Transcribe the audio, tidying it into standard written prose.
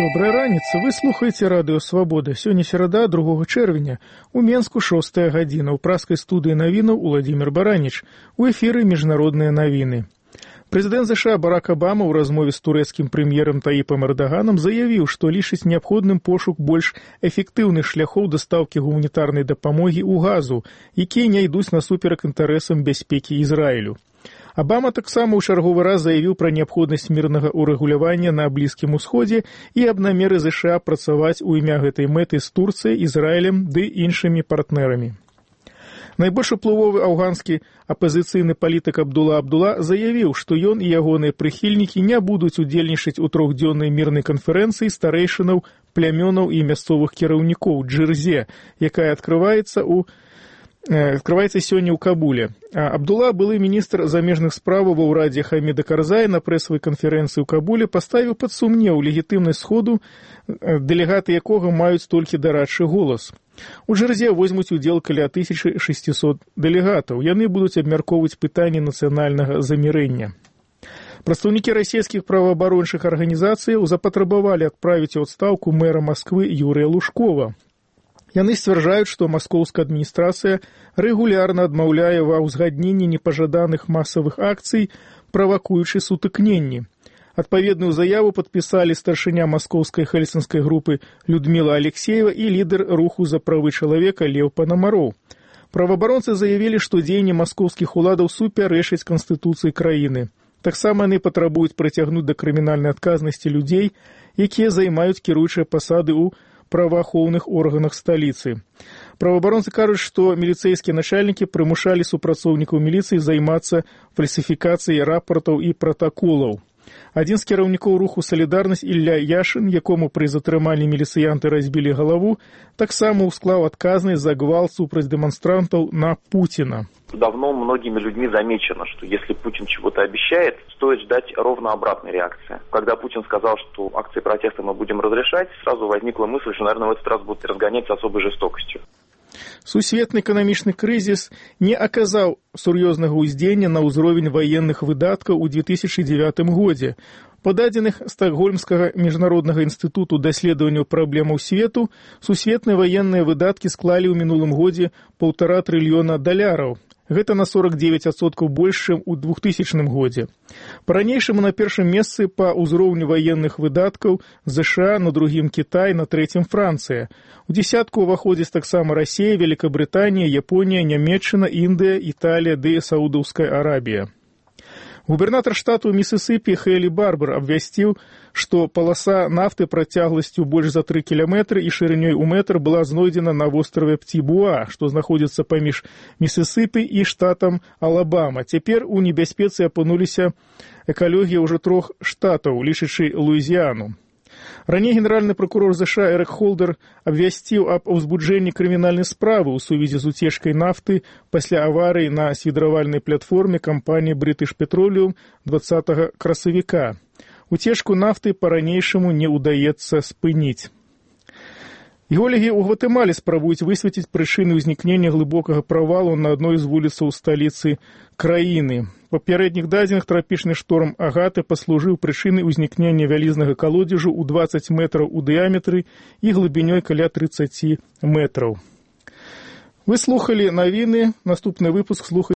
Добрая раніца. Вы слухаеце радыё «Свабода». Сёння серада, 2 чэрвеня. У Менску 6 гадзіна. У праскай студыі навінаў Уладзімір Бараніч. У эфіры міжнародныя навіны. Прэзідэнт США Барак Абама ў размове з турэцкім прэм'ерам Таіпам Эрдаганам заявіў, што лічыць неабходным пошук больш эфектыўных шляхоў дастаўкі гуманітарнай дапамогі ў Газу, якія не ідуць насуперак інтарэсам бяспекі Ізраілю. Абама таксама ў чарговы раз заявіў пра неабходнасць мірнага ўрэгулявання на Блізкім Усходзе і аб намеры США працаваць у імя гэтай мэты з Турцыяй, Ізраілем ды іншымі партнерамі. Найбольш уплывовы афганскі апазіцыйны палітык Абдула Абдула заявіў, што ён і ягоныя прыхільнікі не будуць удзельнічаць у 3-дзённай мірнай канферэнцыі старэйшынаў, плямёнаў і мясцовых кіраўнікоў Джырзе, якая адкрываецца сёння ў Кабуле. Абдула, былы міністр замежных справаў ва ўрадзе Хаміда Карзая на прэсавай канферэнцыі ў Кабуле, паставіў пад сумнеў легітымнасць сходу, дэлегаты якога маюць толькі дарадчы голас. У Джырзе возьмуць удзел каля 1600 дэлегатаў. Яны будуць абмяркоўваць пытанні нацыянальнага замірэння. Прадстаўнікі расійскіх праваабарончых арганізацыяў запатрабавалі адправіць у адстаўку мэра Масквы Юрыя Лужкова. Яны сцвярджаюць, што маскоўская адміністрацыя рэгулярна адмаўляе ва ўзгадненні непажаданых масавых акцый, правакуючы сутыкненні. Адпаведную заяву падпісалі старшыня маскоўскай хельсінскай групы Людміла Алексеева і лідар руху за правы чалавека Леў Панамароў. Праваабаронцы заявілі, што дзеянні маскоўскіх уладаў супярэчаць канстытуцыі краіны. Таксама яны патрабуюць прыцягнуць да крымінальнай адказнасці людзей, якія займаюць кіруючыя пасады ў праваахоўных органах сталіцы. Праваабаронцы кажуць, што міліцэйскія начальнікі прымушалі супрацоўнікаў міліцыі займацца фальсіфікацыяй рапартаў і пратаколаў. Адзін з кіраўнікоў руху «Салідарнасць» Ілля Яшын, якому пры затрыманні міліцыянты разбілі галаву, таксама усклаў адказнасць за гвалт супраць дэманстрантаў на Путина. Давно многими людьми замечено, что если Путин чего-то обещает, стоит ждать ровно обратной реакции. Когда Путин сказал, что акции протеста мы будем разрешать, сразу возникла мысль, что, наверное, в этот раз будут разгонять с особой жестокостью. Сусветны эканамічны крызіс не аказаў сур'ёзнага ўздзеяння на ўзровень ваенных выдаткаў у 2009 годзе. Па дадзеных Стакгольмскага міжнароднага інстытуту даследаванняў праблемаў свету, сусветныя ваенныя выдаткі склалі ў мінулым годзе $1,5 трыльёна. Гэта на 49% больш, чым у 2000 годзе. Па-ранейшаму на першым месцы па ўзроўню ваенных выдаткаў ЗША, на другім Кітай, на трэцім Францыя. У дзесятку ўваходзяць таксама Расія, Великабрытанія, Японія, Нямецчына, Індыя, Італія ды Саудаўская Арабія. Губернатар штату Місісіпі Хейлі Барбар абвясціў, што паласа нафты працягласцю больш за 3 кіламетры і шырынёй у метр была знойдзена на востраве Птібуа, што знаходзіцца паміж Місісіпі і штатам Алабама. Цяпер у небяспецы апынуліся экалогія ўжо 3 штатаў, лічачы Луізіяну. Раней генеральны прокурор США Эрик Холдер абвясціў аб узбуджэнні крымінальнай справы ў сувязі з уцечкай нафты пасля аварыі на свідравальнай платформе кампаніі British Petroleum 20 красавіка. Уцечку нафты па-ранейшаму не ўдаецца спыніць. Геолагі ў Гватэмале спрабуюць высветліць прычыны ўзнікнення глыбокага правалу на адной з вуліцаў сталіцы краіны. Па папярэдніх дадзеных трапічны шторм Агаты паслужыў прычынай узнікнення вялізнага калодзежу ў 20 метраў у дыяметры і глыбінёй каля 30 метраў. Вы слухалі навіны, наступны выпуск слухайте.